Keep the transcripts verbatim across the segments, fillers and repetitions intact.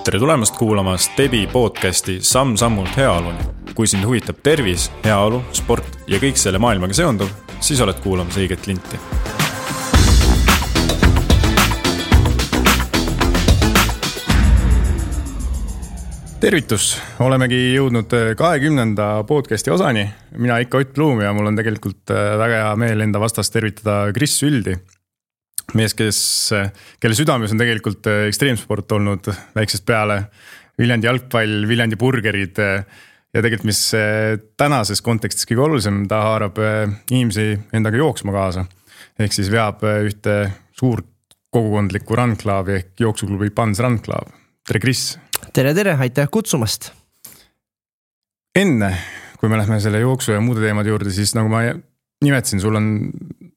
Tere tulemast kuulama Stebi podcasti Samm-sammult heaoluni. Kui sind huvitab tervis, heaolu, sport ja kõik selle maailmaga seonduv, siis oled kuulamas õiget linti. Tervitus! Olemegi jõudnud kahekümnenda podcasti osani. Mina ikka Ott Pluum ja mul on tegelikult väga hea meel enda vastast tervitada Kris Süldi. Mees, kes, kelle südames on tegelikult ekstreemsport olnud väiksest peale. Viljandi jalgpall, Viljandi burgerid ja tegelikult mis tänases kontekstis kõige olulisem, ta haarab inimesi endaga jooksma kaasa. Ehk siis veab ühte suurt kogukondlikku run-klaavi ehk jooksuklubi Pans Run-klaab. Tere Kris! Tere, tere, aitäh kutsumast. Enne, kui me lähme selle jooksu ja muude teemade juurde, siis nagu ma nimetasin, sul on,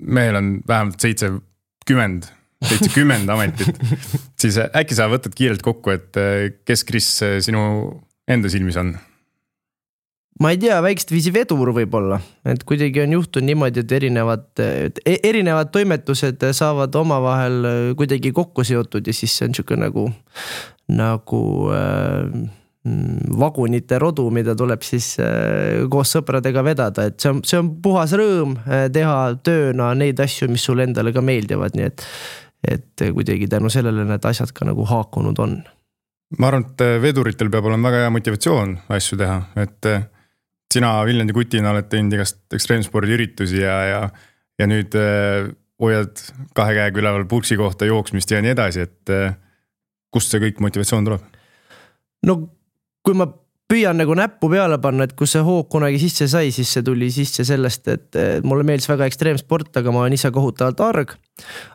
mehel on vähemalt seitsekümmend, seitsekümmend ametit. Siis äkki sa võtad kiirelt kokku, et kes Kris sinu enda silmis on? Ma ei tea, väikest viisi vedur võib-olla, et kuidagi on juhtunud niimoodi, et erinevad, erinevad toimetused saavad omavahel kuidagi kokku seotud ja siis see on niisugune nagu, nagu äh, vagunite rodu, mida tuleb siis äh, koos sõpradega vedada, et see on, see on puhas rõõm äh, teha tööna neid asju, mis sul endale ka meeldivad, nii et, et kuidagi tänu sellele need asjad ka nagu haakunud on. Ma arvan, et veduritel peab olema väga hea motivatsioon asju teha, et sina Viljandi kutina oled teinud igast ekstreemspordi üritusi ja, ja, ja nüüd äh, hoiad kahe käega üleval purksi kohta jooksmist ja nii edasi, et äh, kust see kõik motivatsioon tuleb? No kui ma püüan nagu näppu peale panna, et kus see hoog kunagi sisse sai, siis see tuli sisse sellest, et mulle meeldis väga ekstreemsport, aga ma olen ise kohutavalt arg.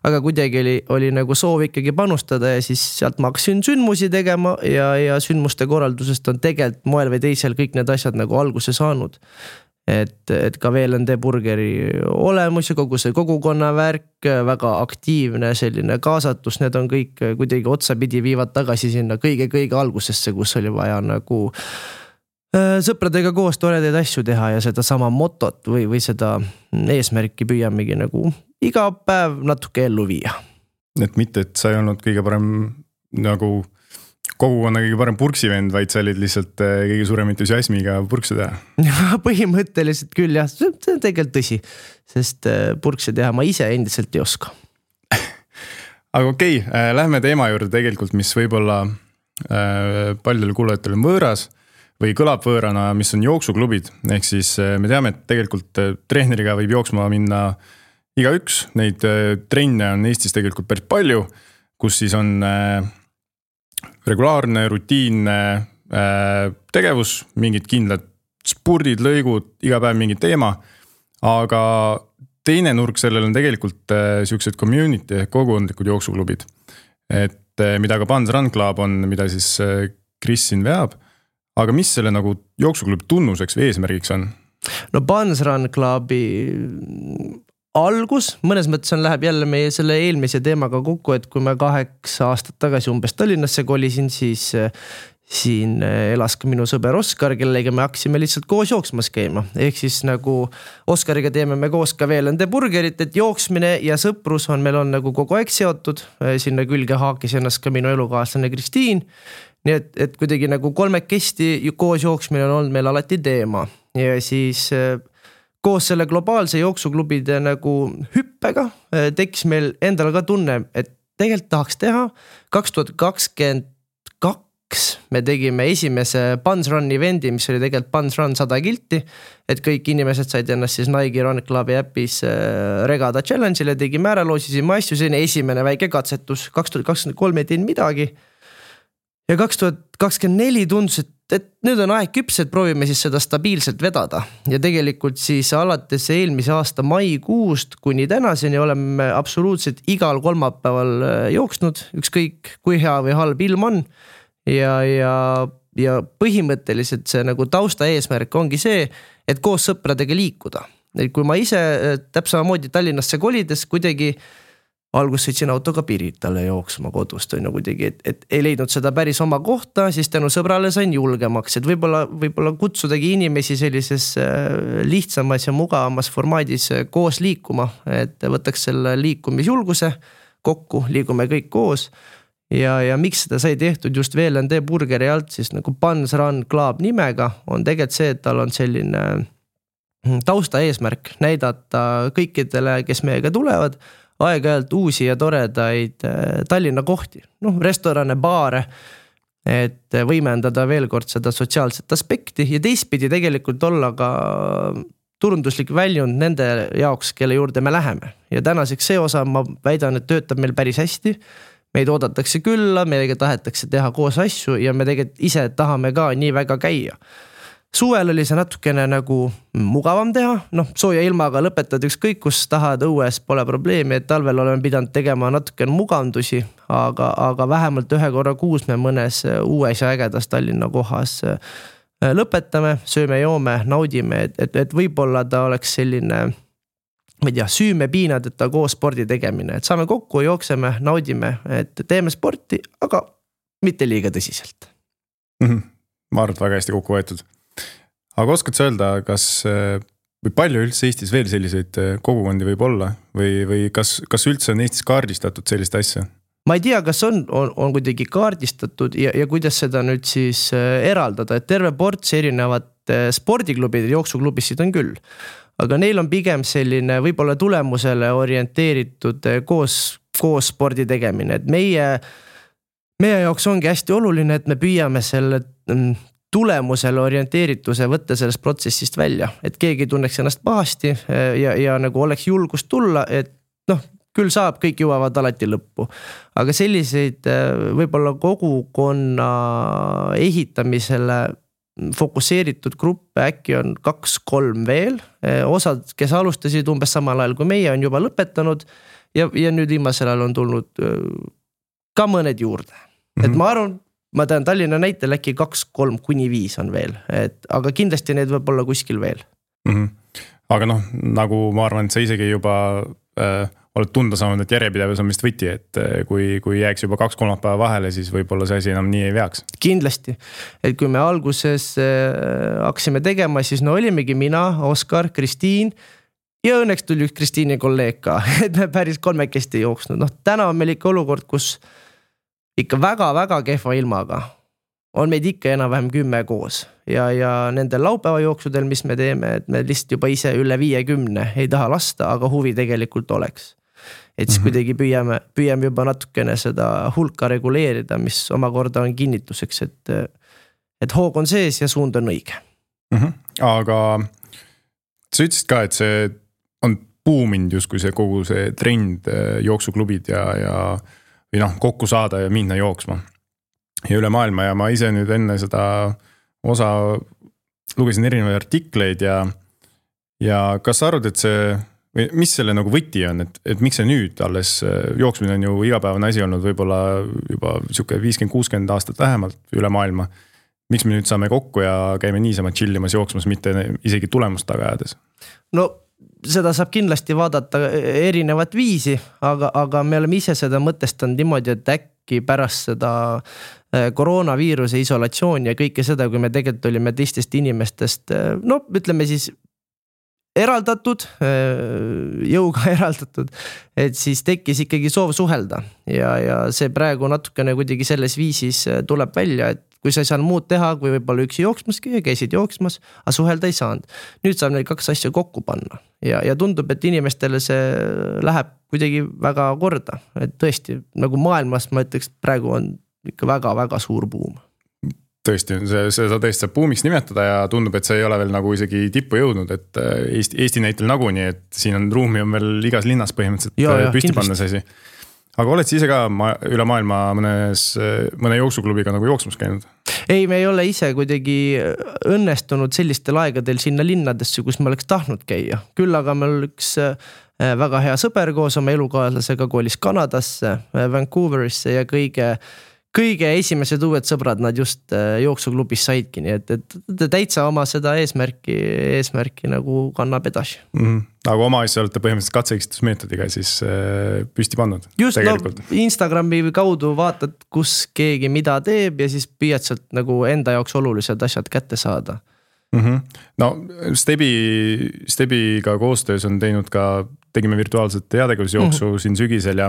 Aga kuidagi oli, oli nagu soov ikkagi panustada ja siis sealt ma hakkasin sündmusi tegema ja, ja sündmuste korraldusest on tegelikult moel või teisel kõik need asjad nagu alguse saanud. Et, et ka V L N D burgeri olemus ja kogu see kogukonna värk, väga aktiivne selline kaasatus, need on kõik kuidagi otsapidi viivad tagasi sinna kõige-kõige algusesse, kus oli vaja nagu sõpradega koos toredaid asju teha ja seda sama motot või, või seda eesmärki püüamegi nagu iga päev natuke ellu viia. Et mitte, et sa ei olnud kõige parem nagu kogukonna kõige parem purksivend, vaid sa olid lihtsalt kõige suurem entusiasmiga purkse teha. Põhimõtteliselt küll jah, see on tegelikult tõsi, sest purkse teha ma ise endiselt ei oska. Aga okei, okay, lähme teema juurde tegelikult, mis võib-olla paljudel kuulajatel on võõras või kõlab võõrana, mis on jooksuklubid. Ehk siis me teame, et tegelikult trehneriga võib jooksma minna iga üks. Neid trenne on Eestis tegelikult päris palju, kus siis on regulaarne, rutiinne äh, tegevus, mingid kindlad spurdid, lõigud, iga päev mingi teema, aga teine nurk sellel on tegelikult äh, siuksed community, kogukondlikud jooksuklubid, et äh, mida ka Pans Run-klaab on, mida siis äh, Kris siin veab, aga mis selle nagu jooksuklubi tunnuseks või eesmärgiks on? No Pans Run-klaabi algus, mõnes mõttes on läheb jälle meie selle eelmise teemaga kokku, et kui me kaheksa aastat tagasi umbes Tallinnasse kolisin, siis siin elas ka minu sõber Oskar, kellega me hakkasime lihtsalt koos jooksmas käima. Ehk siis nagu Oskariga teeme me koos ka V L N D burgerit, et jooksmine ja sõprus on meil on nagu kogu aeg seotud. Sinna külge haakis ennast ka minu elukaaslane Kristiin. Nii et, et kuidagi nagu kolmekesti koos jooksmine on olnud meil alati teema. Ja siis koos selle globaalse jooksuklubide nagu hüppega tekkis meil endal ka tunne, et tegelikult tahaks teha. kaks tuhat kakskümmend kaks me tegime esimese Pans Run eventi, mis oli tegelikult Pans Run sada kilti, et kõik inimesed said ennast siis Nike Run Clubi äpis regada challenge'ile, tegime ära, loosisime asju, see on esimene väike katsetus. kaks tuhat kakskümmend kolm ei teinud midagi. Ja kaks tuhat kakskümmend neli tundus, et, et nüüd on aeg küps, et proovime siis seda stabiilselt vedada. Ja tegelikult siis alates eelmise aasta maikuust kuni tänaseni oleme absoluutselt igal kolmapäeval jooksnud, ükskõik kui hea või halb ilm on. Ja, ja, ja põhimõtteliselt see nagu tausta eesmärk ongi see, et koos sõpradega liikuda. Et kui ma ise täpsamamoodi Tallinnasse kolides kuidagi algus sõitsin autoga Piritale jooksma kodust on kuidagi, et, et ei leidnud seda päris oma kohta, siis tänu sõbrale sain julgemaks, et võib-olla, võib-olla kutsudagi inimesi sellises lihtsamas ja mugavamas formaadis koos liikuma, et võtaks selle liikumisjulguse kokku, liigume kõik koos ja, ja miks seda sai tehtud just V L N D burgeri alt siis nagu Buns Run Club nimega on tegelikult see, et tal on selline tausta eesmärk näidata kõikidele, kes meiega tulevad, aeg-ajalt uusi ja toredaid Tallinna kohti, noh restorane, baare, et võimendada veel kord seda sotsiaalset aspekti ja teistpidi tegelikult olla ka turunduslik väljund nende jaoks, kelle juurde me läheme. Ja tänaseks see osa ma väidan, et töötab meil päris hästi. Meid oodatakse külla, meiega tahetakse teha koos asju ja me tegelikult ise tahame ka nii väga käia. Suvel oli see natukene nagu mugavam teha, noh sooja ilmaga lõpetad ükskõik, kus tahad õues, pole probleemi, et talvel oleme pidanud tegema natukene mugandusi, aga, aga vähemalt ühe korra kuus me mõnes uues ja ägedas Tallinna kohas lõpetame, sööme, joome, naudime, et, et, et võib-olla ta oleks selline, ma ei tea, süüme piinadeta koos spordi tegemine, et saame kokku, jookseme, naudime, et teeme sporti, aga mitte liiga tõsiselt. Mm-hmm. Ma arvan, väga hästi kokku võetud. Aga oskad sa öelda, kas või palju üldse Eestis veel selliseid kogukondi võib olla või, või kas, kas üldse on Eestis kaardistatud sellist asja? Ma ei tea, kas on, on, on kuidagi kaardistatud ja, ja kuidas seda nüüd siis eraldada, et terve ports erinevat spordiklubid ja jooksuklubissid on küll. Aga neil on pigem selline võib-olla tulemusele orienteeritud koos, koos spordi tegemine, et meie, meie jaoks ongi hästi oluline, et me püüame selle tulemusele orienteerituse võtta sellest protsessist välja, et keegi tunneks ennast pahasti ja, ja nagu oleks julgust tulla, et noh, küll saab, kõik jõuavad alati lõppu. Aga selliseid võib-olla kogukonna ehitamisele fokusseeritud gruppe äkki on kaks-kolm veel. Osad, kes alustasid umbes samal ajal kui meie, on juba lõpetanud ja, ja nüüd viimasel ajal on tulnud ka mõned juurde. Mm-hmm. Et ma arvan, ma tean Tallinna näitel äkki kaks, kolm kuni viis on veel, et, aga kindlasti need võib olla kuskil veel. Mm-hmm. Aga noh, nagu ma arvan, et sa isegi juba äh, oled tunda saanud, et järjepidevus on vist võti, et äh, kui, kui jääks juba kaks kolmapäeva vahele, siis võib-olla see asi enam nii ei veaks. Kindlasti, et kui me alguses äh, hakkasime tegema, siis no olimegi mina, Oskar, Kristiin ja õnneks tuli üks Kristiini kolleeg ka, et me päris kolmekesti jooksnud. Noh, täna on meil ikka olukord, kus ikka väga-väga kehva ilmaga on meid ikka enam-vähem kümme koos ja, ja nendel laupäeva jooksudel, mis me teeme, et me lihtsalt juba ise üle viiekümne ei taha lasta, aga huvi tegelikult oleks. Et siis mm-hmm. kuidagi püüame, püüame juba natukene seda hulka reguleerida, mis omakorda on kinnituseks, et, et hoog on sees ja suund on õige. Mm-hmm. Aga sa ütlesid ka, et see on buuminud justkui see kogu see trend jooksuklubid ja, ja või noh, kokku saada ja minna jooksma ja üle maailma ja ma ise nüüd enne seda osa lugesin erinevaid artikleid ja, ja kas sa arvad, et see, või mis selle nagu võti on, et, et miks see nüüd alles jooksmine on ju igapäevane asi olnud võib-olla juba siuke viiskümmend kuuskümmend aastat vähemalt üle maailma. Miks me nüüd saame kokku ja käime niisama chillimas jooksmas, mitte isegi tulemust taga ajades? No seda saab kindlasti vaadata erinevat viisi, aga, aga me oleme ise seda mõtestanud niimoodi, et äkki pärast seda koroonaviiruse isolatsiooni ja kõike seda, kui me tegelikult olime teistest inimestest, no ütleme siis eraldatud, jõuga eraldatud, et siis tekkis ikkagi soov suhelda ja, ja see praegu natukene kuidagi selles viisis tuleb välja, et kui sa ei saanud muud teha, kui võib-olla üksi jooksmaski ja käisid jooksmas, aga suhelda ei saanud. Nüüd saab neid kaks asja kokku panna ja, ja tundub, et inimestele see läheb kuidagi väga korda, et tõesti nagu maailmas ma ütleks, praegu on ikka väga-väga suur buum. Tõesti, see, see sa tõesti saab buumiks nimetada ja tundub, et see ei ole veel nagu isegi tippu jõudnud, et Eesti, Eesti näitel naguni, et siin on ruumi on veel igas linnas põhimõtteliselt ja, ja, püsti panna see asi. Aga oled sa ise ka ma, üle maailma mõnes, mõne jooksuklubiga nagu jooksmas käinud? Ei, me ei ole ise kuidagi õnnestunud sellistel aegadel sinna linnadesse, kus me oleks tahtnud käia. Küll aga meil üks väga hea sõber koos oma elukaaslasega koolis Kanadasse, Vancouverisse ja kõige kõige esimesed uued sõbrad nad just jooksuklubis saidki, nii et, et täitsa oma seda eesmärki, eesmärki nagu kannab edasi. Mm-hmm. Aga oma asja olete põhimõtteliselt katseeksitusmeetodiga siis püsti pannud? Just, tegelikult. No Instagrami kaudu vaatad, kus keegi mida teeb ja siis püüad sealt nagu enda jaoks olulised asjad kätte saada. Mm-hmm. No Stebi, Stebiga koostöös on teinud ka, tegime virtuaalset heategevusjooksu mm-hmm. siin sügisel ja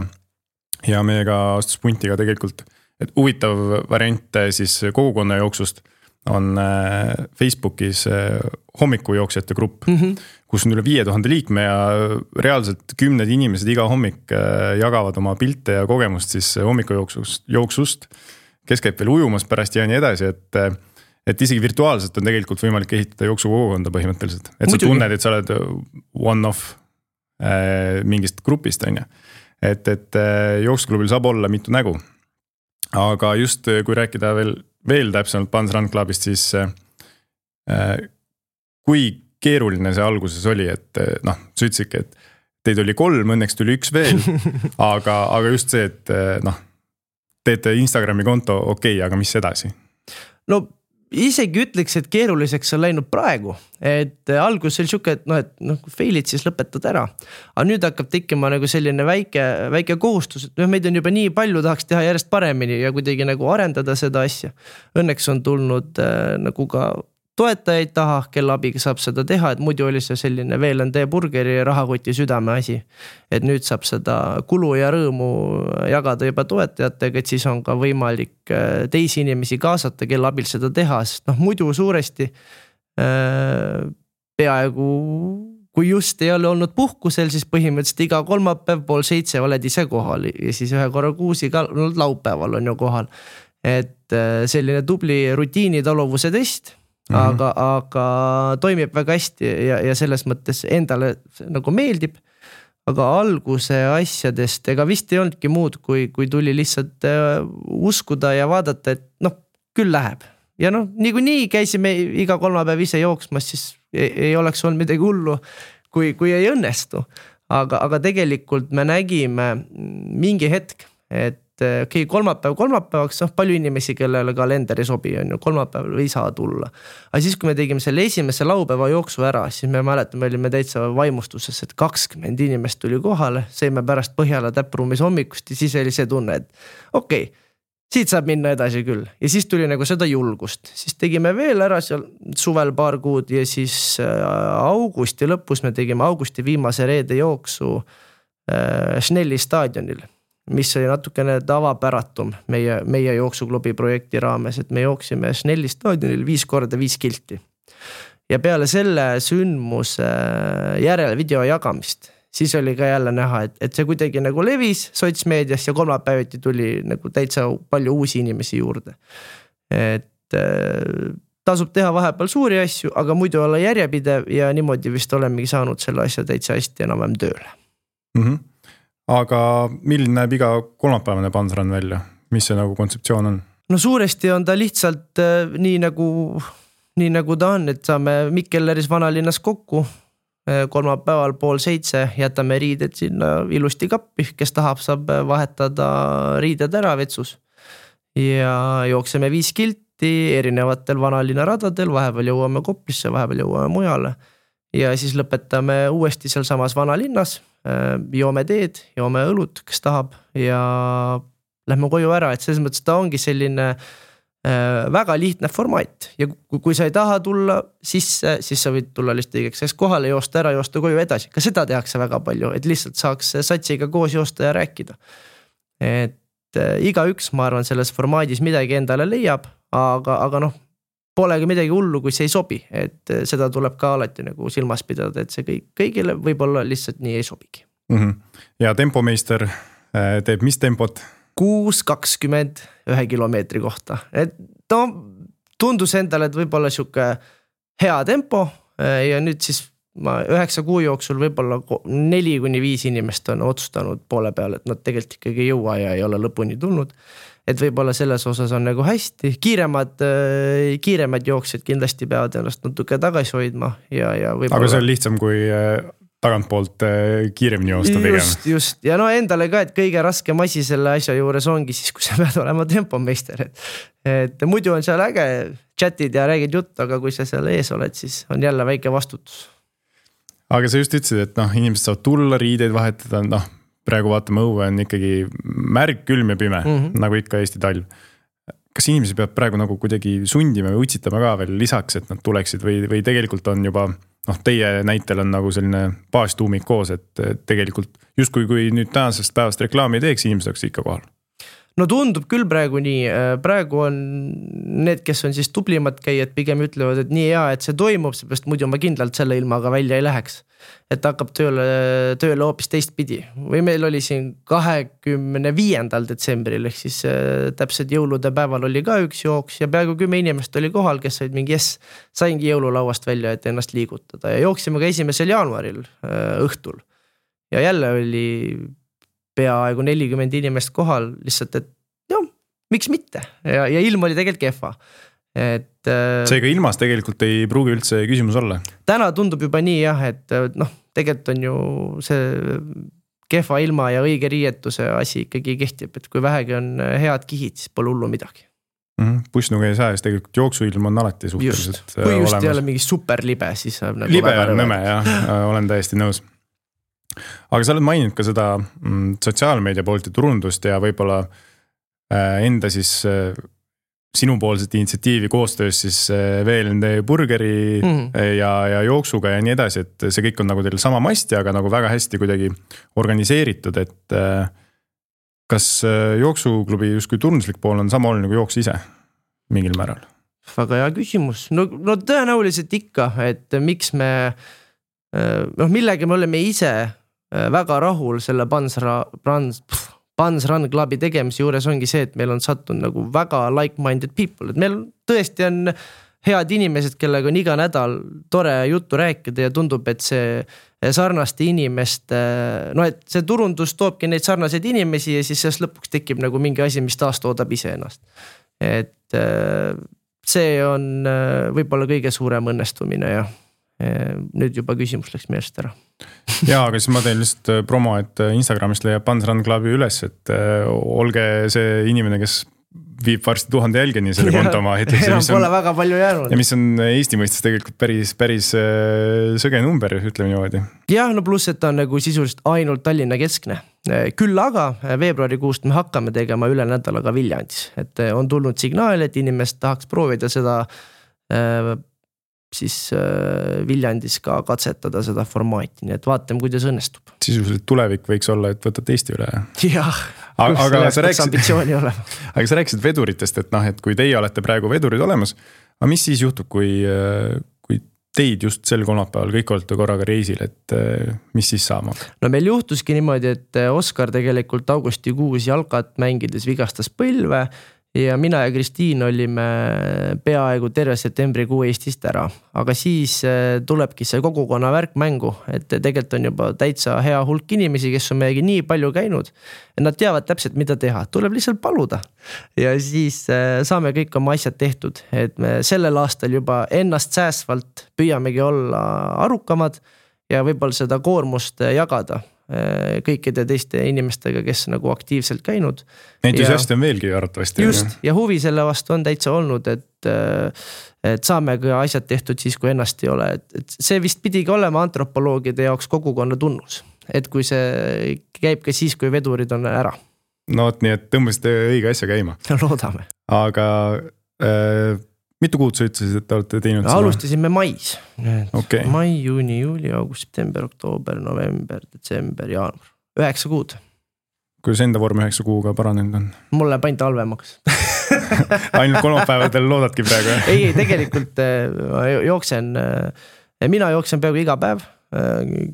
ja meiega astus punti ka tegelikult, et huvitav variant siis kogukonna jooksust on Facebookis hommikujooksjate grupp, mm-hmm. kus on üle viie tuhande liikme ja reaalselt kümned inimesed iga hommik jagavad oma pilte ja kogemust siis hommikujooksust, jooksust, kes käib veel ujumas pärast ja nii edasi, et, et isegi virtuaalselt on tegelikult võimalik ehitada jooksukogukonda põhimõtteliselt. Et sa tunned, et sa oled one-off mingist grupist, on ju. Et, et jooksuklubil saab olla mitu nägu. Aga just kui rääkida veel, veel täpsemalt Pans Run Clubist, siis äh, kui keeruline see alguses oli, et noh, sa ütlesidki, et teid oli kolm, õnneks tuli üks veel, aga, aga just see, et noh, teete Instagrami konto, okei, okay, aga mis edasi? No isegi ütleks, et keeruliseks on läinud praegu, et algus oli siuke, et noh, et noh, kui failid, siis lõpetad ära. Aga nüüd hakkab tekkima nagu selline väike, väike kohustus, et meid on juba nii palju, tahaks teha järjest paremini ja kuidagi nagu arendada seda asja. Õnneks on tulnud äh, nagu ka toetajaid taha, kelle abiga saab seda teha, et muidu oli see selline V L N D burgeri rahakoti südame asi. Et nüüd saab seda kulu ja rõõmu jagada juba toetajatega, et siis on ka võimalik teisi inimesi kaasata, kelle abil seda teha, sest noh, muidu suuresti äh, peaaegu kui just ei ole olnud puhkusel, siis põhimõtteliselt iga kolmapäev pool seitse oled ise kohal ja siis ühe korra kuus iga laupäeval on ju kohal. Et selline tubli rutiini taluvuse test, mm-hmm. aga, aga toimib väga hästi ja, ja selles mõttes endale nagu meeldib. Aga alguse asjadest, ega vist ei olnudki muud, kui, kui tuli lihtsalt uskuda ja vaadata, et noh, küll läheb. Ja noh, nii kui nii käisime iga kolmapäev ise jooksmas, siis ei, ei oleks olnud midagi hullu, kui, kui ei õnnestu. Aga, aga tegelikult me nägime mingi hetk, et okei, okay, kolmapäev kolmapäevaks, noh, palju inimesi, kellele kalender ei sobi, on ju, kolmapäeval ei saa tulla. Aga siis, kui me tegime selle esimese laupäeva jooksu ära, siis me mäletame, olime täitsa vaimustuses, et kakskümmend inimest tuli kohale, seime pärast Põhjala täppruumis hommikust ja siis oli see tunne, et okei, okay, siit saab minna edasi küll. Ja siis tuli nagu seda julgust. Siis tegime veel ära seal suvel paar kuud ja siis augusti lõpus me tegime augusti viimase reede jooksu äh, Schnelli staadionil, mis oli natukene tavapäratum meie, meie jooksuklubi projekti raames, et me jooksime Schnelli staadionil viis korda viis kilti. Ja peale selle sündmuse järele video jagamist, siis oli ka jälle näha, et, et see kuidagi nagu levis sotsmeedias ja kolmapäeviti tuli nagu täitsa palju uusi inimesi juurde. Et tasub teha vahepeal suuri asju, aga muidu olla järjepidev ja niimoodi vist olemegi saanud selle asja täitsa hästi enam-vähem tööle. Mhm. Aga milline näeb iga kolmapäevane Pans Run välja? Mis see nagu kontseptsioon on? No suuresti on ta lihtsalt äh, nii, nagu, nii nagu ta on, et saame Mikkelleris vanalinnas kokku äh, kolmapäeval pool seitse, jätame riided sinna ilusti kappi, kes tahab, saab vahetada riided ära vetsus ja jookseme viis kilti erinevatel vanalinna radadel, vahepeal jõuame Koplisse, vahepeal jõuame mujale ja siis lõpetame uuesti seal samas vanalinnas, joome teed, joome õlut, kes tahab ja lähme koju ära, et selles mõttes ta ongi selline väga lihtne formaat ja kui, kui sa ei taha tulla sisse, siis sa võid tulla lihtsalt õigeks kohale, joosta ära, joosta koju edasi. Ka seda tehakse väga palju, et lihtsalt saaks satsiga koos joosta ja rääkida. Et iga üks, ma arvan, selles formaadis midagi endale leiab, aga, aga noh, polegi midagi hullu, kui see ei sobi, et seda tuleb ka alati nagu silmas pidada, et see kõik, kõigile võib-olla lihtsalt nii ei sobigi. Mm-hmm. Ja tempomeister teeb mis tempot? kuus kakskümmend ühe kilomeetri kohta. Et no, tundus endale, et võib-olla siuke hea tempo ja nüüd siis ma üheksa kuu jooksul võib-olla neli kuni viis inimest on otsustanud poole peale, et nad tegelikult ikkagi ei jõua ja ei ole lõpuni tulnud. Et võib-olla selles osas on nagu hästi. Kiiremad, kiiremad jooksjad kindlasti peavad ennast natuke tagasi hoidma. Ja, ja võib-olla... Aga see on lihtsam kui tagantpoolt kiiremini joosta pigem. Just, just. Ja no endale ka, et kõige raskem asi selle asja juures ongi siis, kui sa pead olema tempomeister. Et, et muidu on seal äge chatid ja räägid jutt, aga kui sa seal ees oled, siis on jälle väike vastutus. Aga sa just ütlesid, et noh, inimesed saavad tulla, riideid vahetada, noh, praegu vaatame õue on ikkagi märg, külm ja pime, mm-hmm. nagu ikka Eesti talv. kas inimesi peab praegu nagu kuidagi sundima või utsitama ka veel lisaks, et nad tuleksid või, või tegelikult on juba, noh, teie näitel on nagu selline baastuumik koos, et tegelikult justkui kui nüüd tänasest päevast reklaami teeks, inimesed oleks ikka kohal? No tundub küll praegu nii, praegu on need, kes on siis tublimad käijad, pigem ütlevad, et nii hea, et see toimub, seepärast muidu ma kindlalt selle ilmaga välja ei läheks. Et hakkab tööle, tööle hoopis teist pidi. Või meil oli siin kahekümne viiendal detsembril, ehk siis täpselt jõulude päeval oli ka üks jooks ja peaaegu kümme inimest oli kohal, kes olid mingi, yes, saingi jõululauast välja, et ennast liigutada ja jooksime ka esimesel jaanuaril õhtul. Ja jälle oli peaaegu nelikümmend inimest kohal, lihtsalt, et joo, miks mitte? Ja, ja ilm oli tegelikult kehva. Et, seega ilmas tegelikult ei pruugi üldse küsimus olla? Täna tundub juba nii jah, et noh, tegelikult on ju see kehva ilma ja õige riietuse asi ikkagi kehtib, et kui vähegi on head kihid, siis pole hullu midagi. Mm-hmm. Pussnuga ei saa, siis tegelikult jooksuilm on alati suhteliselt just. Kui just olemas. ei ole mingi superlibe, siis nagu libe on nõme, jah, olen täiesti nõus. Aga sa oled maininud ka seda mm, sotsiaalmeedia poolt ja turundust ja võib-olla äh, enda siis äh, sinupoolset initsiatiivi koostöös siis äh, veel nende burgeri mm. ja, ja jooksuga ja nii edasi, et see kõik on nagu teil sama masti, aga nagu väga hästi kuidagi organiseeritud, et äh, kas äh, jooksuklubi justkui turunduslik pool on sama oluline kui jooks ise mingil määral? Väga hea küsimus. No, no tõenäoliselt ikka, et miks me, noh millega me oleme ise väga rahul selle Buns Run, Buns Run Clubi tegemise juures ongi see, et meil on sattunud nagu väga like-minded people, et meil tõesti on head inimesed, kellega on iga nädal tore juttu rääkida ja tundub, et see sarnaste inimeste, no et see turundus toobki neid sarnaseid inimesi ja siis selles lõpuks tekib nagu mingi asi, mis taas toodab ise ennast. Et see on võib-olla kõige suurem õnnestumine ja nüüd juba küsimus läks meelest ära. Jaa, aga siis ma teen lihtsalt promo, et Instagramist leiab Buns Run Clubi üles, et olge see inimene, kes viib varsti tuhande jälgeni selle konto oma heteks. Enam pole väga palju jäänud. Ja mis on Eesti mõistes tegelikult päris, päris sõge number, ütleme niimoodi. Jah, no pluss, et ta on nagu sisuliselt ainult Tallinna keskne. Küll aga veebruarikuust me hakkame tegema üle nädalaga Viljandis. Et on tulnud signaal, et inimest tahaks proovida seda siis Viljandis ka katsetada seda formaati, nii et vaatame, kuidas õnnestub. Sisuliselt tulevik võiks olla, et võtad Eesti üle. Jah, aga, aga, sa rääksid, olema. aga sa rääkisid veduritest, et, noh, et kui teie olete praegu vedurid olemas, aga mis siis juhtub, kui, kui teid just sel kolmapäeval kõik olete korraga reisil, et mis siis saama? No meil juhtuski niimoodi, et Oskar tegelikult augustikuus jalkat mängides vigastas põlve ja mina ja Kristiin olime peaaegu terve septembrikuu Eestist ära, aga siis tulebki see kogukonna värk mängu, et tegelikult on juba täitsa hea hulk inimesi, kes on meiegi nii palju käinud, et nad teavad täpselt, mida teha, tuleb lihtsalt paluda ja siis saame kõik oma asjad tehtud, et me sellel aastal juba ennast säästvalt püüamegi olla arukamad ja võib-olla seda koormust jagada kõikide teiste inimestega, kes nagu aktiivselt käinud. Entusiasti on veelgi arvatavasti. Just, ja huvi selle vastu on täitsa olnud, et, et saame ka asjad tehtud siis, kui ennast ei ole. Et see vist pidigi olema antropoloogide jaoks kogukonna tunnus, et kui see käib ka siis, kui vedurid on ära. No, nii et tõmbasite õige asja käima. Loodame. Aga äh, mitu kuud sa ütlesid, et te olete teinud? Alustasime mais. Okay. Mai, juuni, juuli, august, september, oktoober, november, detsember, jaanuar. Üheksa kuud. Kuidas enda vorm üheksa kuuga paranenud on? Mulle paint halvemaks. Ainult kolmapäevadel loodadki praegu? ei, ei, tegelikult jooksen, mina jooksen peaaegu iga päev,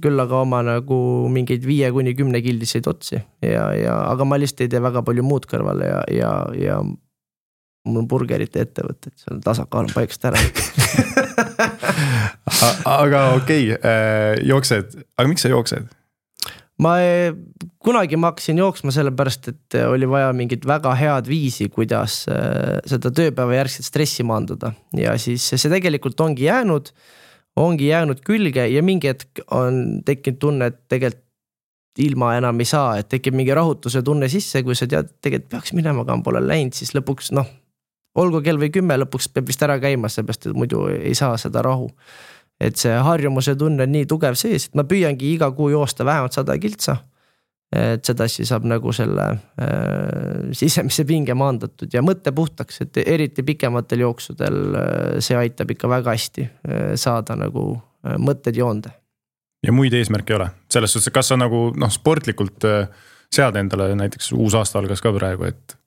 küll aga oma nagu mingeid viie kuni kümne kildiseid otsi, ja, ja, aga ma lihtsalt ei tee väga palju muud kõrvale ja, ja, ja mul on burgerite ettevõtted, see on tasakaal paikast ära. aga okei, okay, jooksed, aga miks sa jooksed? Ma kunagi ma hakkasin jooksma sellepärast, et oli vaja mingit väga head viisi, kuidas seda tööpäeva järgselt stressi maandada ja siis see tegelikult ongi jäänud, ongi jäänud külge ja mingi hetk on tekkinud tunne, et tegelikult ilma enam ei saa, et tekib mingi rahutuse tunne sisse, kui sa tead, tegelikult peaks minema, aga pole läinud, siis lõpuks, noh, olgu kell või kümme, lõpuks peab vist ära käima, seepärast, et muidu ei saa seda rahu. Et see harjumuse tunne on nii tugev sees, et ma püüangi iga kuu joosta vähemalt sada kiltsa. et sedasi saab nagu selle äh, sisemise pinge maandatud ja mõtte puhtaks, et eriti pikematel jooksudel äh, see aitab ikka väga hästi äh, saada nagu äh, mõtted joonde. Ja muid eesmärke ei ole, selles suhtes, kas sa nagu noh, sportlikult äh, sead endale näiteks uus aasta algas ka praegu, et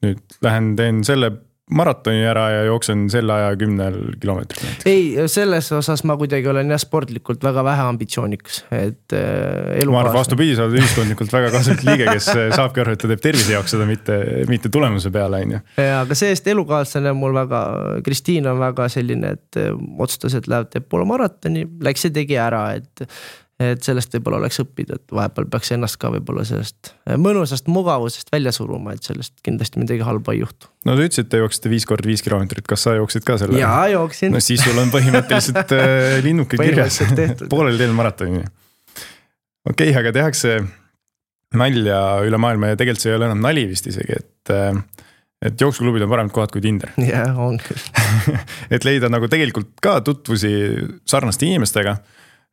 nüüd lähen teen selle maratoni ära ja jooksen selle aja kümnel kilomeetril. Ei, selles osas ma kuidagi olen jah sportlikult väga vähe ambitsioonikas, et äh, elukaasne. Ma arvan, vastupidi, sa oled ühiskondlikult väga kasulik liige, kes saabki aru, et ta teeb tervise jaoks seda, mitte, mitte tulemuse peale. On ju. Ja, aga seest elukaaslane mul väga, Kristiin on väga selline, et otsustas, et läheb teeb poole maratoni, läks ja tegi ära, et et sellest võib-olla oleks õppida, et vahepeal peaks ennast ka võib-olla sellest mõnusast mugavusest välja suruma, et sellest kindlasti midagi halba ei juhtu. No te ütlesid, te jooksite viis korda viis kilomeetrit, kas sa jooksid ka selle? Jaa, jooksin. No siis sul on põhimõtteliselt linnuke kirjas poolel teel maratoni. Okei, okay, aga tehakse nalja üle maailma ja tegelikult see ei ole enam nali vist isegi, et, et jooksuklubid on paremad kohad kui Tinder. Jah, on küll. Et leida nagu tegelikult ka tutvusi sarnaste inimestega.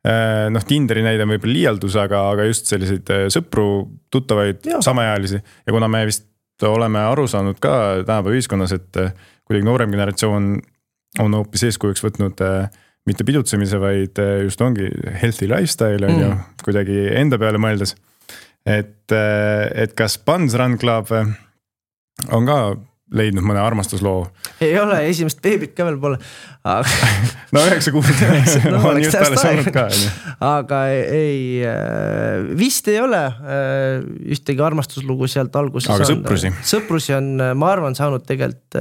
Noh, Tinderi näide on võib-olla liialdus, aga, aga just selliseid sõpru, tuttavaid, samaealisi. Ja kuna me vist oleme aru saanud ka tänapäeva ühiskonnas, et kuidagi noorem generatsioon on hoopis eeskujuks võtnud mitte pidutsemise, vaid just ongi healthy lifestyle on mm. ju, kuidagi enda peale mõeldes. Et, et kas Buns Run Club on ka leidnud mõne armastusloo? Ei ole, esimest beebit ka veel pole. Aga... no üheksa kuud no, on just alles olnud ka. Aga ei, vist ei ole ühtegi armastuslugu sealt alguses. Aga sõprusi? Sõprusi on, ma arvan, saanud tegelikult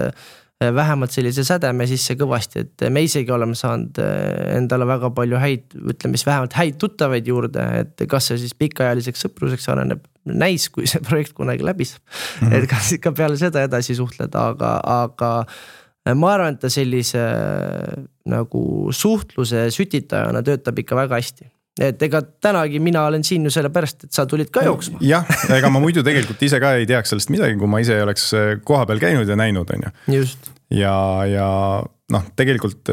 vähemalt sellise sädeme sisse kõvasti, et me isegi oleme saanud endale väga palju häid, ütleme siis vähemalt häid tuttavaid juurde, et kas see siis pikaajaliseks sõpruseks areneb näis, kui see projekt kunagi läbi saab. Mm-hmm. Et kas ikka peale seda edasi suhtleda, aga, aga ma arvan, et ta sellise nagu suhtluse sütitajana töötab ikka väga hästi. Et ega tänagi mina olen siin ju selle pärast, et sa tulid ka jooksma. Jah, ega ma muidu tegelikult ise ka ei teaks sellest midagi, kui ma ise oleks koha peal käinud ja näinud. On ju. Just. Ja, ja noh, tegelikult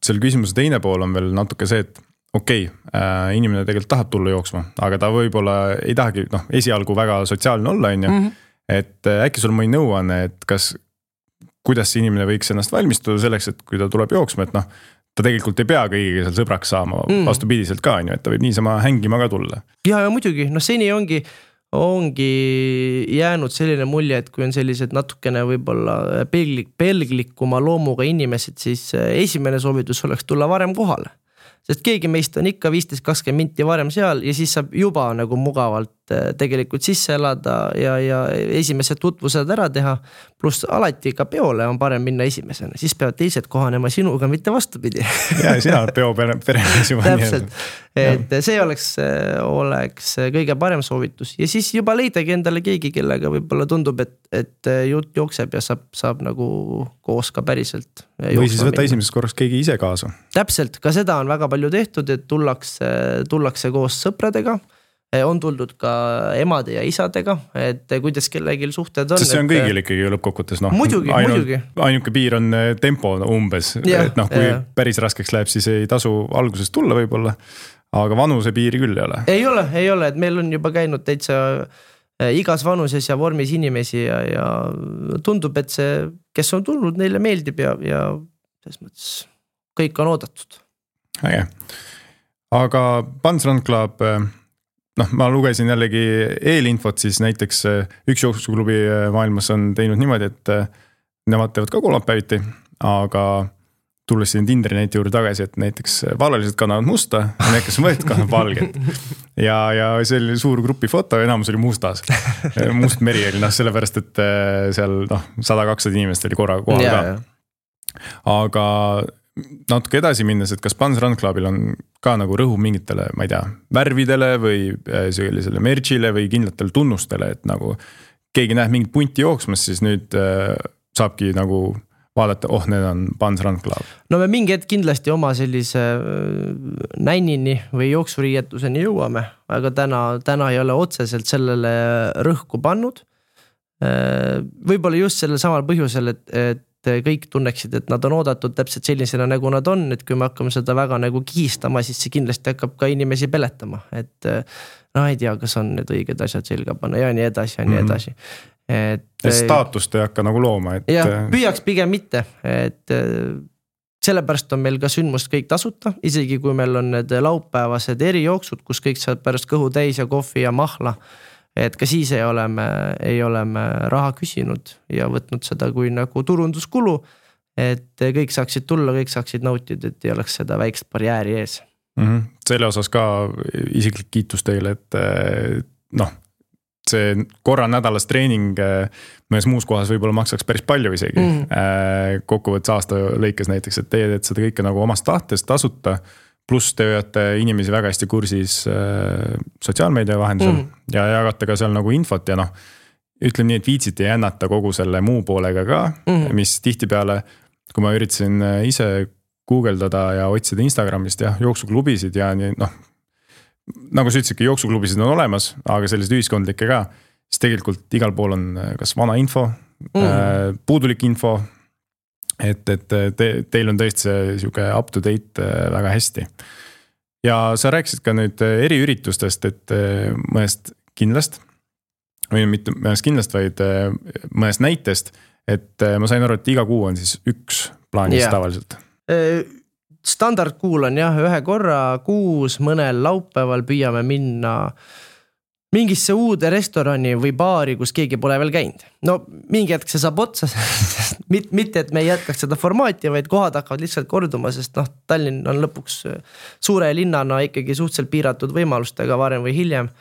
selle küsimuse teine pool on veel natuke see, et okei, okay, inimene tegelikult tahab tulla jooksma, aga ta võib-olla ei tahagi noh, esialgu väga sotsiaalne olla. On ju. Mm-hmm. Et äkki sul mõni nõuanne, et kas, kuidas see inimene võiks ennast valmistuda selleks, et kui ta tuleb jooksma, et noh, ta tegelikult ei pea kõigiga seal sõbraks saama mm. vastupidiselt ka, on ju, et ta võib niisama hängima ka tulla. Ja, ja muidugi, no seni ongi, ongi jäänud selline mulje, et kui on sellised natukene võib-olla pelglik, pelglikuma loomuga inimesed, siis esimene soovitus oleks tulla varem kohale. Sest keegi meist on ikka viisteist kakskümmend minti varem seal ja siis saab juba nagu mugavalt tegelikult sisse elada ja, ja esimesed tutvused ära teha. Plus alati ka peole on parem minna esimesena, siis peavad teised kohanema sinuga, mitte vastupidi. Ja sina oled peo peremees juba. Täpselt, et see oleks, oleks kõige parem soovitus ja siis juba leidagi endale keegi, kellega võib-olla tundub, et, et jutt jookseb ja saab, saab nagu koos ka päriselt. Või siis võtta esimesest korraks keegi ise kaasa. Täpselt, ka seda on väga palju tehtud, et tullakse, tullakse koos sõpradega. On tuldud ka emade ja isadega, et kuidas kellelgi suhted on. Sest see on kõigil ikkagi lõppkokkutes. No, muidugi, ainult, muidugi. Ainuke piir on tempo umbes. Ja, et noh, kui ja. Päris raskeks läheb, siis ei tasu alguses tulla võib-olla. Aga vanuse piiri küll ei ole. Ei ole, ei ole, et meil on juba käinud täitsa igas vanuses ja vormis inimesi ja, ja tundub, et see, kes on tulnud, neile meeldib ja, ja selles mõttes kõik on oodatud. Äge. Aga Buns Run Club, noh, ma lugesin jällegi eelinfot, siis näiteks üks jooksklubi maailmas on teinud niimoodi, et nemad teevad ka kolmapäeviti, aga tulles siin Tinderi näite juurde tagasi, et näiteks vallalised kannavad musta ja need, kes võetud kannavad valget. Ja, ja see oli suur grupi foto, enamus oli mustas. Must meri oli, noh, sellepärast, et seal noh, sada kakssada inimest oli korraga kohal ja, ka. Ja. Aga natuke edasi minnes, et kas Buns Run Clubil on ka nagu rõhu mingitele, ma ei tea, värvidele või sellisele merchile või kindlatel tunnustele, et nagu keegi näeb mingit punti jooksmas, siis nüüd saabki nagu vaadata, oh, need on Buns Run Club. No me mingi hetk kindlasti oma sellise nännini või jooksuriietuseni jõuame, aga täna, täna ei ole otseselt sellele rõhku pannud. Võib-olla just sellel samal põhjusel, et, et kõik tunneksid, et nad on oodatud täpselt sellisena, nagu nad on, et kui me hakkame seda väga nagu kiistama, siis see kindlasti hakkab ka inimesi peletama, et no ei tea, kas on need õiged asjad selga panna ja nii edasi ja nii edasi. Et, et staatust ei hakka nagu looma, et jah, püüaks pigem mitte, et sellepärast on meil ka sündmust kõik tasuta, isegi kui meil on need laupäevased erijooksud, kus kõik saab pärast kõhu täis ja kohvi ja mahla, et ka siis ei ole me, ei ole me raha küsinud ja võtnud seda kui nagu turunduskulu, et kõik saaksid tulla, kõik saaksid nautida, et ei oleks seda väikest barjääri ees. Mm-hmm. Selle osas ka isiklik kiitus teile, et noh, see korra nädalas treening mõnes muus kohas võib-olla maksaks päris palju isegi mm. kokkuvõttes aasta lõikes näiteks, et teie teed seda kõike nagu omast tahtest tasuta, pluss te hoiate inimesi väga hästi kursis sotsiaalmeedia vahendusel mm. ja jagate ka seal nagu infot ja noh, ütleme nii, et viitsite jännata kogu selle muu poolega ka, mm. mis tihtipeale, kui ma üritasin ise guugeldada ja otsida Instagramist ja jooksuklubisid ja nii, noh, nagu sa ütlesidki, jooksuklubisid on olemas, aga sellised ühiskondlikke ka, siis tegelikult igal pool on kas vana info, mm. puudulik info, et, et te, teil on tõesti see siuke up to date väga hästi. Ja sa rääkisid ka nüüd eriüritustest, et mõnest kindlast, või mitte mõnest kindlast, vaid mõnest näitest, et ma sain aru, et iga kuu on siis üks plaanis yeah. tavaliselt. Standardkuul on jah, ühe korra kuus mõnel laupäeval püüame minna mingisse uude restorani või baari, kus keegi pole veel käinud. No mingi hetk see saab otsa, mitte et me ei jätkaks seda formaati, vaid kohad hakkavad lihtsalt korduma, sest noh, Tallinn on lõpuks suure linnana ikkagi suhteliselt piiratud võimalustega varem või hiljem,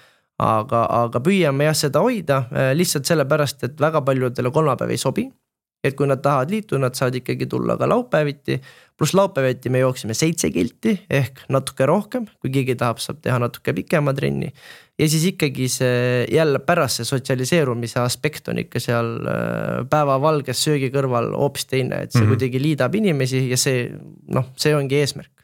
aga, aga püüame jah seda hoida lihtsalt sellepärast, et väga paljudele kolmapäev ei sobi. Et kui nad tahavad liitu, nad saavad ikkagi tulla ka laupäeviti, pluss laupäeviti me jooksime seitse kilti ehk natuke rohkem, kui keegi tahab, saab teha natuke pikema trenni. Ja siis ikkagi see jälle pärast see sotsialiseerumise aspekt on ikka seal päevavalges söögi kõrval hoopis teine, et see mm-hmm. kuidagi liidab inimesi ja see, noh, see ongi eesmärk.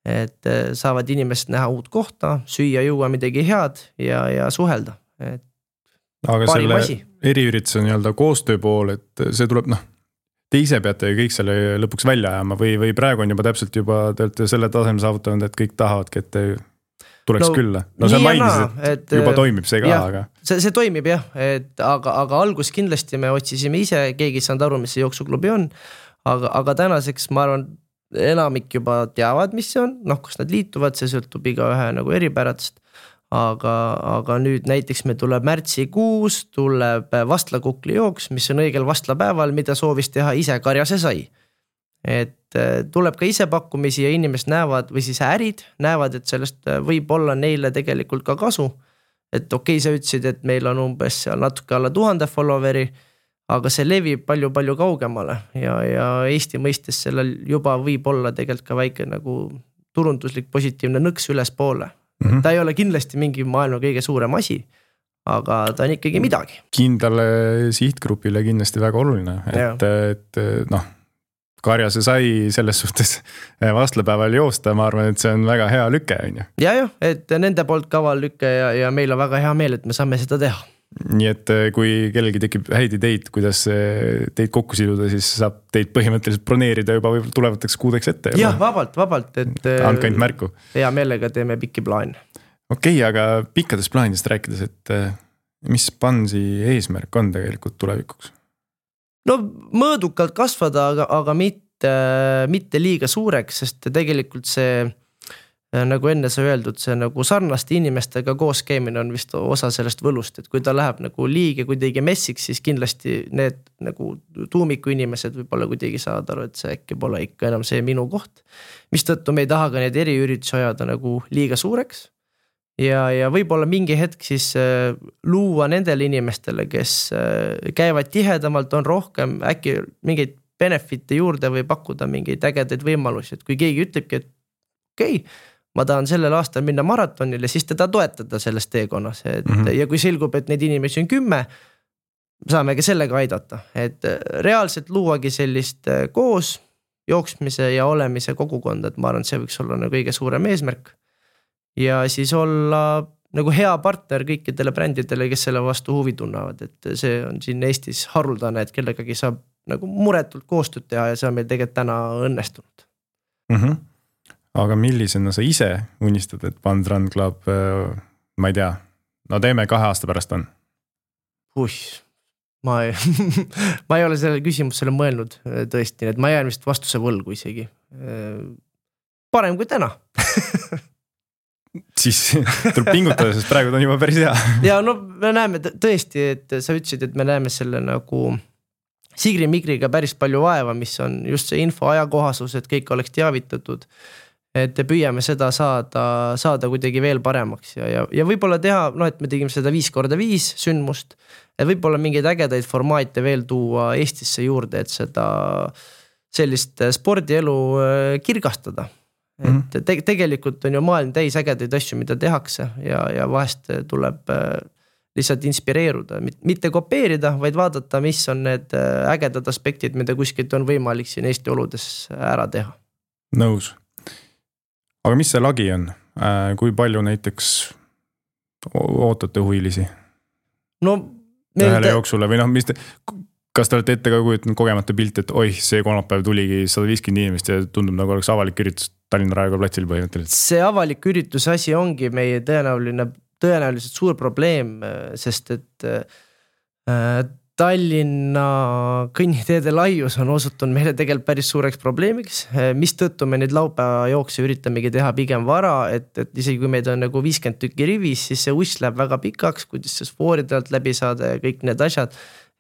Et saavad inimesed näha uut kohta, süüa juua midagi head ja, ja suhelda, et aga selle eriürituse nii-öelda koostöö pool, et see tuleb, noh, te ise peate kõik selle lõpuks välja ajama või, või praegu on juba täpselt juba, te olete selle taseme saavutanud, et kõik tahavadki, et te tuleks no, külla. No see mainisid, et, et juba toimib see ka, jah, aga... See, see toimib jah, et aga, aga algus kindlasti me otsisime ise, keegi saanud aru, mis see jooksuklubi on, aga, aga tänaseks ma arvan, enamik juba teavad, mis see on, noh, kus nad liituvad, see sõltub iga ühe nagu eripäradest. Aga, aga nüüd näiteks me tuleb märtsikuus, tuleb vastlakukli jooks, mis on õigel vastlapäeval, mida soovis teha ise Karjase sai. Et tuleb ka ise pakkumisi ja inimesed näevad, või siis ärid näevad, et sellest võib olla neile tegelikult ka kasu. Et okei, sa ütlesid, et meil on umbes seal natuke alla tuhande followeri, aga see levib palju-palju kaugemale ja, ja Eesti mõistes sellel juba võib olla tegelikult ka väike nagu turunduslik positiivne nõks üles poole. Mm-hmm. Ta ei ole kindlasti mingi maailma kõige suurem asi, aga ta on ikkagi midagi. Kindlale sihtgrupile kindlasti väga oluline, et, et noh, Karjase sai selles suhtes vastlapäeval joosta, ma arvan, et see on väga hea lüke. Ja, ja, et nende poolt kaval lüke ja, ja meil on väga hea meel, et me saame seda teha. Nii et kui kellelgi tekib häid ideid, kuidas teid kokku siduda, siis saab teid põhimõtteliselt broneerida juba tulevateks kuudeks ette. Jah, vabalt, vabalt. Et andke ainult märku. Hea meelega teeme pikki plaan. Okei, aga pikkadest plaanidest rääkides, et mis Pansi eesmärk on tegelikult tulevikuks? No mõõdukalt kasvada, aga, aga mitte, mitte liiga suureks, sest tegelikult see nagu enne sa öeldud, see nagu sarnaste inimestega koos käimine on vist osa sellest võlust, et kui ta läheb nagu liige kuidagi messiks, siis kindlasti need nagu tuumiku inimesed võib-olla kuidagi saavad aru, et see äkki pole ikka enam see minu koht, mis tõttu me ei taha ka need eriüritusi ajada nagu liiga suureks ja, ja võib-olla mingi hetk siis äh, luua nendele inimestele, kes äh, käivad tihedamalt, on rohkem äkki mingeid benefite juurde või pakkuda mingeid ägedaid võimalusi, et kui keegi ütlebki, et okei okay, ma tahan sellel aastal minna maratonile, siis teda toetada selles teekonnas. Et, mm-hmm. Ja kui selgub, et neid inimesi on kümme, saame ka sellega aidata. Et reaalselt luuagi sellist koos jooksmise ja olemise kogukonda, et ma arvan, see võiks olla nagu kõige suurem eesmärk. Ja siis olla nagu hea partner kõikidele brändidele, kes selle vastu huvi tunnavad. Et see on siin Eestis haruldane, et kellegagi saab nagu muretult koostööd teha ja see on meil tegelikult täna õnnestunud. Mm-hmm. Aga millisena sa ise unistad, et Band Run Club, ma ei tea, no teeme kahe aasta pärast on? Uih, ma ei, ma ei ole selle küsimusele mõelnud tõesti, et ma jään vist vastuse võlgu isegi. Parem kui täna. Siis tuleb pingutada, sest praegu on juba päris hea. Ja no me näeme tõesti, et sa ütlesid, et me näeme selle nagu Sigri-Migriga päris palju vaeva, mis on just see info ajakohasus, et kõik oleks teavitatud, et püüame seda saada, saada kuidagi veel paremaks ja, ja, ja võib-olla teha, no et me tegime seda viis korda viis sündmust, et võib-olla mingeid ägedaid formaate veel tuua Eestisse juurde, et seda sellist spordielu kirgastada. Et te- tegelikult on ju maailm täis ägedaid asju, mida tehakse ja, ja vahest tuleb lihtsalt inspireeruda, mitte kopeerida, vaid vaadata, mis on need ägedad aspektid, mida kuskilt on võimalik siin Eesti oludes ära teha. Nõus. Aga mis see lagi on? Kui palju näiteks ootate huvilisi? No ühele te... jooksule või noh, mis te... Kas te olete ette ka kujutanud kogemata pilt, et oih, see kolmapäev tuligi sada viiskümmend inimest ja tundub nagu oleks avalik üritus Tallinna Raekoja platsil põhimõtteliselt? See avalik üritus asi ongi meie tõenäoline, tõenäoliselt suur probleem, sest et äh, Tallinna kõnniteede laius on osutunud meile tegelikult päris suureks probleemiks, mis tõttu me neid laupäeva jookse üritamegi teha pigem vara, et, et isegi kui meid on nagu viiskümmend tükki rivis, siis see uss läheb väga pikaks, kuidas see spooridelt läbi saada ja kõik need asjad.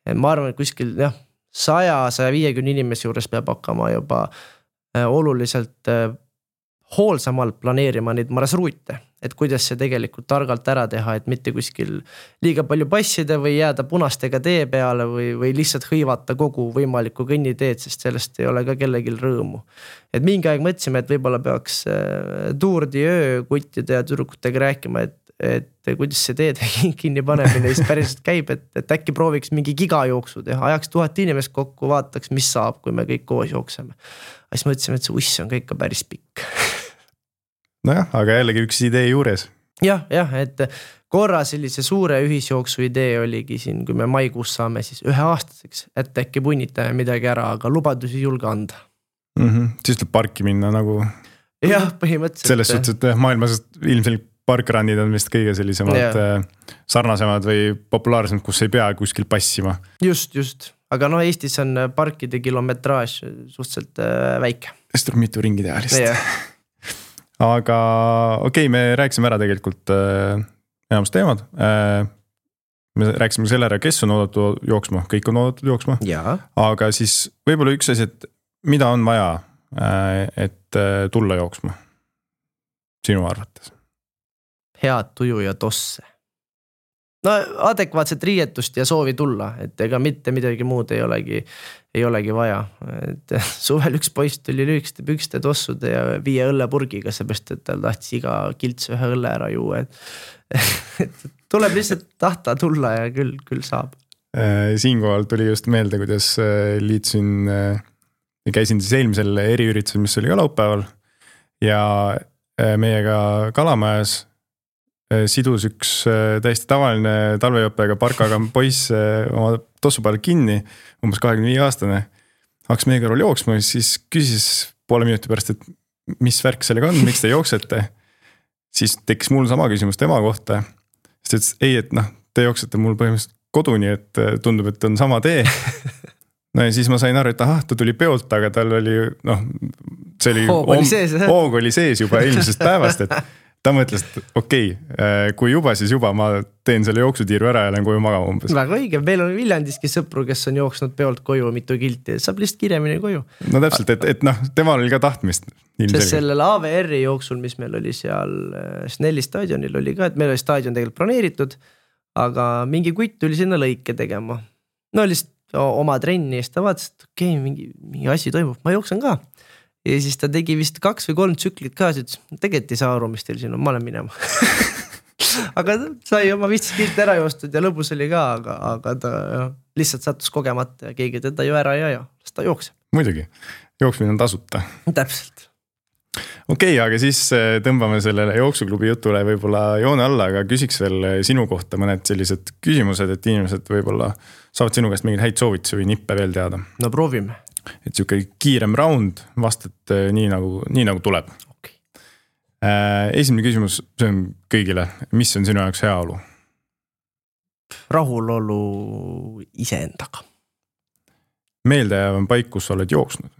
Ma arvan, et kuskil jah, sada kuni sada viiskümmend inimese juures peab hakkama juba oluliselt hoolsamalt planeerima neid marasruute, et kuidas see tegelikult targalt ära teha, et mitte kuskil liiga palju passida või jääda punastega tee peale või, või lihtsalt hõivata kogu võimalikku kõnniteed, sest sellest ei ole ka kellegil rõõmu. Et mingi aeg mõtlesime, et võib-olla peaks tuurdi öö kuttide ja tüdrukutega rääkima, et et kuidas see teed kinni panemine siis päriselt käib, et, et äkki prooviks mingi gigajooksu teha, ajaks tuhat inimest kokku, vaataks, mis saab, kui me kõik koos jookseme. Siis mõtlesime, et see uss on ka ikka päris pikk. Nojah, aga jällegi üks idee juures. Jah, jah, et korra sellise suure ühisjooksu idee oligi siin, kui me maikuus saame siis ühe aastaseks, et äkki punnitame midagi ära, aga lubadusi julge anda. Mm-hmm. Siis tuleb parki minna nagu... Jah, põhimõtteliselt. Selles suhtes, et maailmas ilmselt parkrunnid on vist kõige sellisemad yeah. sarnasemad või populaarsemad, kus ei pea kuskil passima. Just, just. Aga no Eestis on parkide kilometraaž suhteliselt väike. Sest tuleb mitu ringi teha lihtsalt. Yeah. Aga okei, okay, me rääksime ära tegelikult äh, enamus teemad. Äh, me rääksime selle ära, kes on oodatud jooksma. Kõik on oodatud jooksma. Yeah. Aga siis võib-olla üks asi, et mida on vaja, äh, et äh, tulla jooksma? Sinu arvates? Head tuju ja tosse. No adekvaatset riietust ja soovi tulla, et ega mitte midagi muud ei olegi, ei olegi vaja. Et suvel üks poiss tuli lüükste pükste tossude ja viie õllepurgiga, seepärast, et tal tahtis iga kilts ühe õlle ära juua. Et, et tuleb lihtsalt tahta tulla ja küll, küll saab. Siinkohal tuli just meelde, kuidas liitsin, käisin siis eelmisel eriüritusel, mis oli ka laupäeval ja meiega Kalamajas sidus üks täiesti tavaline talvejoppega parkaga poiss oma tossu peal kinni, umbes kahekümne viie aastane. Hakkas meie kõrval jooksma, siis küsis poole minuti pärast, et mis värk sellega on, miks te jooksete. Siis tekkis mul sama küsimus tema kohta. Sest ütles, ei, et noh, te jooksete mul põhimõtteliselt koduni, et tundub, et on sama tee. No ja siis ma sain aru, et aha, ta tuli peolt, aga tal oli, noh, see oli, hoog oli sees, hoog oli sees juba eelmisest päevast, et ta mõtles, et okei, okay, kui juba, siis juba ma teen selle jooksutiiru ära ja lähen koju magama umbes. Väga õige, meil on Viljandiski sõpru, kes on jooksnud peolt koju mitu kilti, saab lihtsalt kirjamini koju. No täpselt, et, et noh, temal oli ka tahtmist. Sest sellel A V R-i jooksul, mis meil oli seal Snelli staadionil oli ka, et meil oli staadion tegelikult planeeritud, aga mingi kutt tuli sinna lõike tegema. No lihtsalt oma trenni ja siis ta vaatas, et okei, okay, mingi, mingi asi toimub, ma jooksen ka. Ja siis ta tegi vist kaks või kolm tsüklit ka, siis tegelikult ei saa aru, mis teil siin on, ma olen minema. Aga sai oma viisteist kilti ära joostud ja lõbus oli ka, aga, aga ta ja, lihtsalt sattus kogemata ja keegi teda ju ära ja ja, siis ta jookseb. Muidugi, jooksmine on tasuta. Täpselt. okei okay,, aga siis tõmbame sellele jooksuklubi jutule võib-olla joone alla, aga küsiks veel sinu kohta mõned sellised küsimused, et inimesed võib-olla saavad sinu käest mingeid häid soovitusi või nippe veel teada. No proovime. Et siuke kiirem round, vastad nii nagu, nii nagu tuleb. Okay. Esimene küsimus, see on kõigile. Mis on sinu jaoks heaolu? Rahulolu iseendaga. Meeldejääv on paik, kus sa oled jooksnud?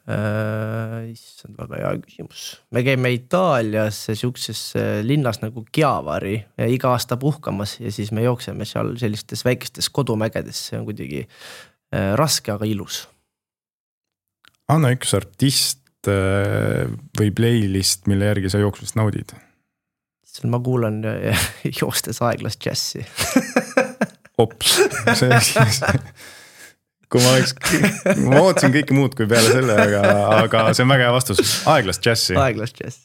Äh, see on väga hea küsimus. Me käime Itaalias siukses linnas nagu Chiavari ja iga aasta puhkamas ja siis me jookseme seal sellistes väikestes kodumägedes. See on kuidagi äh, raske, aga ilus. Anna üks artist äh, või playlist, mille järgi sa jooksmist naudid? Seal ma kuulan joostes aeglast džässi. Ops, see siis... Kui ma oleks, ma ootasin kõike muud kui peale selle, aga, aga see on väga hea vastus. Aeglast džässi. Aeglast džässi.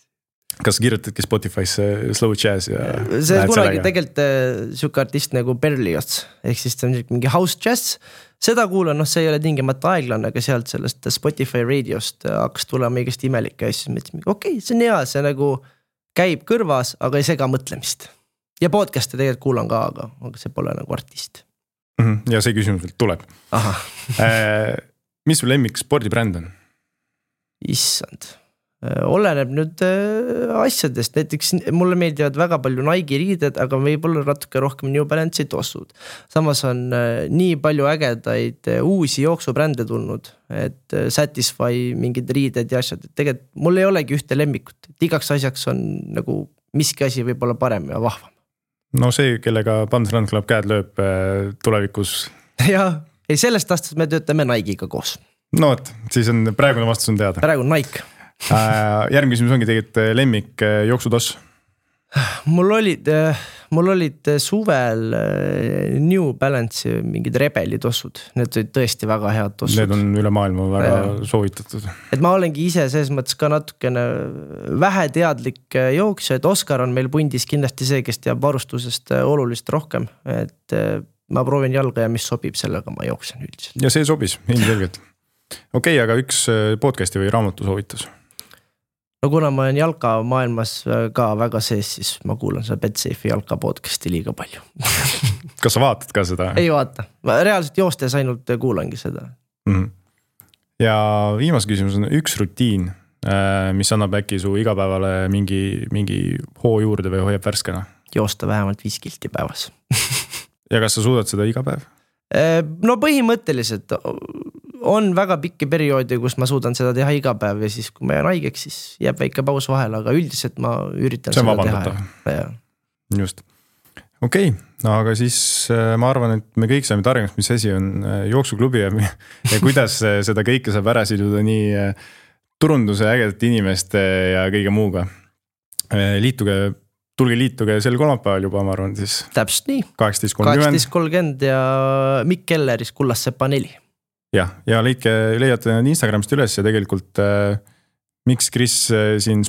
Kas kirjutadki Spotify'sse slow jazz? Ja see on kunagi tegelikult siuke artist nagu Berlioz, ehk siis see on mingi house jazz. Seda kuulan, noh see ei ole tingimata aeglane, aga sealt sellest Spotify radiost hakkas tulema igast imelike ja siis mõtlesin, okei, okay, see on hea, see nagu käib kõrvas, aga ei sega mõtlemist. Ja podcast'e tegelikult kuulan ka, aga, aga see pole nagu artist. Ja see küsimus veel tuleb. Aha. Mis sul lemmik spordibränd on? Issand. Oleneb nüüd asjadest. Näiteks mulle meeldivad väga palju Nike riided, aga võib-olla natuke rohkem New Balance'i tossud. Samas on nii palju ägedaid uusi jooksubrände tulnud, et Satisfy mingid riided ja asjad. Tegelikult mul ei olegi ühte lemmikut. Et igaks asjaks on nagu miski asi võib-olla parem ja vahvam. No see, kellega Pants Run Club käed lööb tulevikus. Ja, ei sellest aastast me töötame Nike'iga koos. No et, siis on praegune vastus on teada. Praegu Nike. Järgmine küsimus ongi tegelikult lemmik jooksutoss. Mul olid, mul olid suvel New Balance mingid rebeli tossud. Need olid tõesti väga head tossud. Need on üle maailma väga ja. Soovitatud. Et ma olengi ise selles mõttes ka natukene vähe teadlik jooksja, et Oskar on meil pundis kindlasti see, kes teab varustusest olulist rohkem. Et ma proovin jalga ja mis sobib sellega, ma jooksen üldiselt. Ja see sobis, ilmselgelt. Okei, okay, aga üks podcasti või raamatu soovitus? No kuna ma olen jalka maailmas ka väga sees, siis ma kuulan seda BetSafe jalka podcasti liiga palju. Kas sa vaatad ka seda? Ei vaata. Ma reaalselt joostes ainult kuulangi seda. Mm-hmm. Ja viimas küsimus on üks rutiin, mis annab äkki su igapäevale mingi, mingi hoo juurde või hoiab värskena? Joosta vähemalt viis kilti päevas. Ja kas sa suudad seda iga päev? No põhimõtteliselt on väga pikki perioodi, kus ma suudan seda teha iga päev ja siis kui ma jään haigeks, siis jääb väike paus vahel, aga üldiselt ma üritan see seda vabandata. teha. Just. Okei, okay. No, aga siis ma arvan, et me kõik saame targemaks, mis asi on jooksuklubi ja, ja kuidas seda kõike saab ära siduda nii turunduse ägedate inimeste ja kõige muuga. Liituge, tulge liituge sel kolmapäeval juba, ma arvan siis. Täpselt nii. kaheksateist kolmkümmend kolmkümmend ja Mikk Kelleris Kullassepa neli. Ja, ja leidke, leiate Instagramist üles ja tegelikult äh, miks Chris äh, siin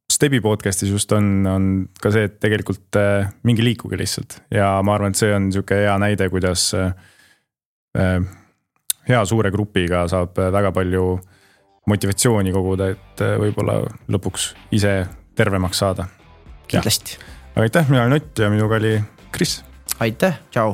Stebi podcastis just on, on ka see, et tegelikult äh, mingi liikuge lihtsalt. Ja ma arvan, et see on siuke hea näide, kuidas äh, äh, hea suure grupiga saab väga palju motivatsiooni koguda, et äh, võib-olla lõpuks ise tervemaks saada. Kindlasti. Aitäh, mina olen Ott ja minuga oli Chris. Aitäh, tšau.